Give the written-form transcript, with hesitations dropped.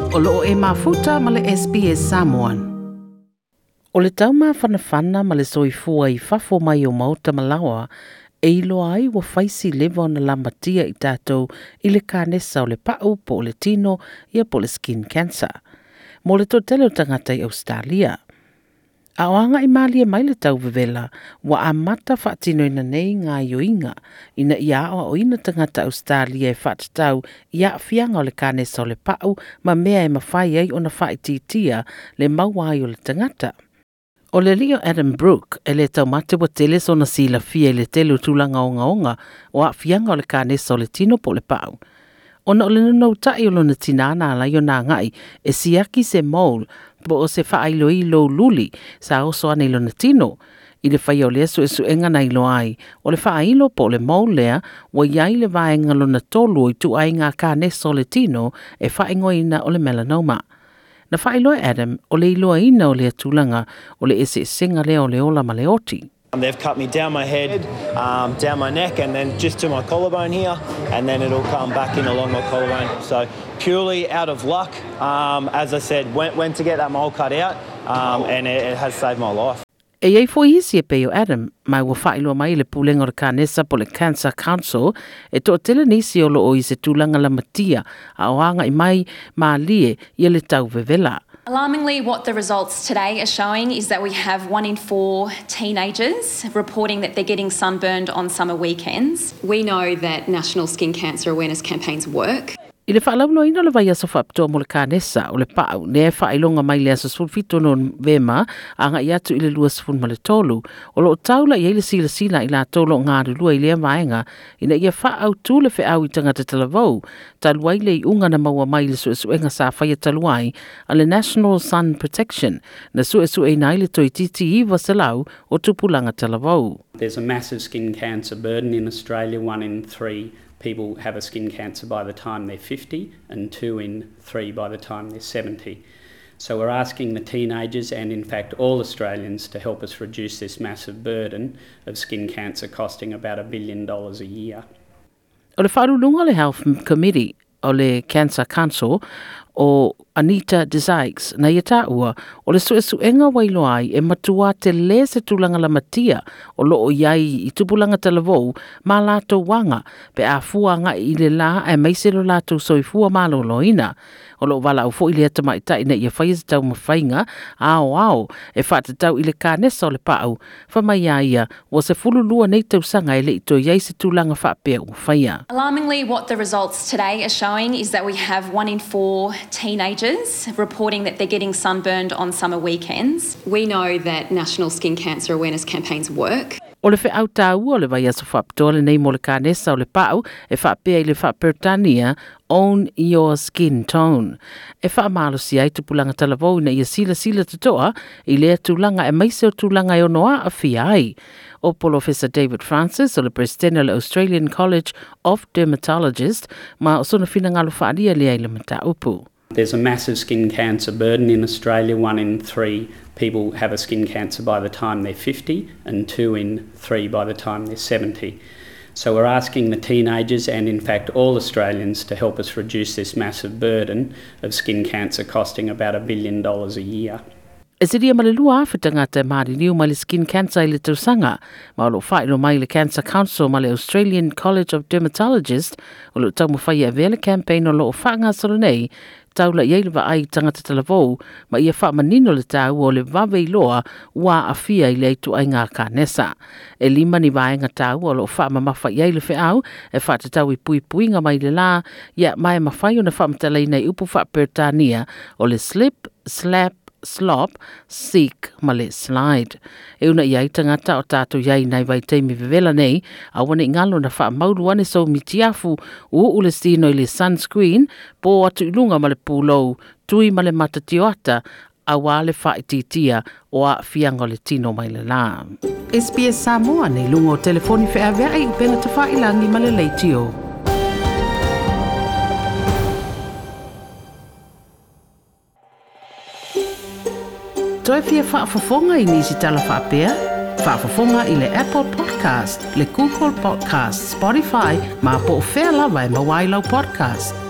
O loo e mafuta ma le SBS Samoan. O le taumafanafana ma le soifua i fafo mai o maota malaoa, e iloa ai ua faisi leva ona lamatia i tatou i le kanesa o le pau po o le tino ia po o le skin cancer. Mo le toatele o tagata i Australia. A o agaʻi malie mai le tauvevela, ua amata faatinoina nei gaoioiga ina ia aoaoina tagata Australia e faatatau i aafiaga o le kanesa o le pau ma mea e mafai ai ona faaitiitia le maua ai o le tagata. O le alii o Adam Brooke e le taumate ua tele sona silafia i le tele o tulaga ogaoga o aafiaga o le kanesa o le tino po o le pau. Ona o le nonoutai o lona tinā na ala ai ona agai e siaki se mole po o se faailoilo luli sa oso ane i lona tino. I le faia o lea suesuega na iloa ai, o le faailo po o le mole lea ua i ai le vaega lona tolu o ituaiga kanesa o le tino e faaigoaina o le melanoma. Na faailoa e Adam o le iloaina o lea tulaga o le eseesega lea o le ola ma le oti. They've cut me down my head, down my neck, and then just to my collarbone here, and then it'll come back in along my collarbone. So purely out of luck, as I said, went to get that mole cut out, and it has saved my life. E i ai foi isi e pei o Adam, ma ua faailoa mai le pulega o le kanesa po o le Cancer Council e toatele nisi o loo i se tulaga lamatia a o agaʻi mai malie ia le tauvevela. Alarmingly, what the results today are showing is that we have 1 in 4 teenagers reporting that they're getting sunburned on summer weekends. We know that national skin cancer awareness campaigns work. I le faalauiloaina o le vaiaso faapitoa mo le kanesa o le pau, lea e faailoga mai le aso 17 Novema agai atu i le 23, o loo taula i ai le silasila i latou o loo galulue i lea vaega ina ia faaautu le feau i tagata talavou, talu ai le iuga na maua mai i le suesuega sa faia talu ai a le National Sun Protection na suesueina ai le toeitiiti 900 o tupulaga talavou. There's a massive skin cancer burden in Australia. 1 in 3 people have a skin cancer by the time they're 50 and 2 in 3 by the time they're 70. So we're asking the teenagers and in fact all Australians to help us reduce this massive burden of skin cancer costing about $1 billion a year. O le faauluuluga o le Health Committee o le Cancer Council o Anita Dezarx na ia taua o le suesuega ua iloa ai e matua tele se tulaga lamatia o loo i ai i tupulaga talavou ma latou aga pe a fua agai i le la aemaise lo latou soifua maloloina. O loo valaau foi lea tamaitai ina ia faia se taumafaiga aoao e faatatau i le kanesa o le pau fai mai a ia ua 12 nei tausaga e lei toe i ai se tulaga faapea ua faia. Alarmingly, what the results today are showing is that we have 1 in 4 teenagers reporting that they're getting sunburned on summer weekends. We know that national skin cancer awareness campaigns work. O le feau taua o le vaiaso faapitoa lenei mo le kanesa o le pau e faapea i le faaperetania Own Your Skin Tone. E faamalosia ai tupulaga talavou ina ia silasila totoa i lea tulaga aemaise o tulaga e ono aafia ai. O Polofesa David Francis o le Peresetene o le Australian College of Dermatologists ma o sona finagalo faaalia lea i le mataupu. There's a massive skin cancer burden in Australia. 1 in 3 people have a skin cancer by the time they're 50 and 2 in 3 by the time they're 70. So we're asking the teenagers and in fact all Australians to help us reduce this massive burden of skin cancer costing about $1 billion a year. E silia ma le 2,000 tagata e maliliu mai le skin cancer i le tausaga, ma o loo faailoa mai le Cancer Council ma le Australian College of Dermatologists o loo taumafai e avea le campaign o loo faagasolo nei taula i ai le vaai i tagata talavou ma ia faamanino le taua o le vave iloa ua aafia i lea ituaiga kanesa. E 5 ni vaega taua o loo faamamafa i ai le feau e faatatau i puipuiga mai le la ia ma e mafai ona faamatalaina i upu faaperetania o le slip, slap, slop, seek ma le slide. E una i ai tagata o tatou i ai nai vaitaimi vevela nei, aua ne i galo na faamaulu ane sou mitiafu uuu le sino i le sunscreen, po atu i luga ma le pulou, tui ma le mata tioata, auā le faaitiitia o aafiaga o le tino mai le la. SBS Samoa nei luga o telefoni feaveai upega tafailagi ma le leitio. Toe fia faafofoga i nisi tala faapea? Faafofoga i le Apple Podcast, le Google Podcast, Spotify, ma po o fea lava e maua ai lau podcast.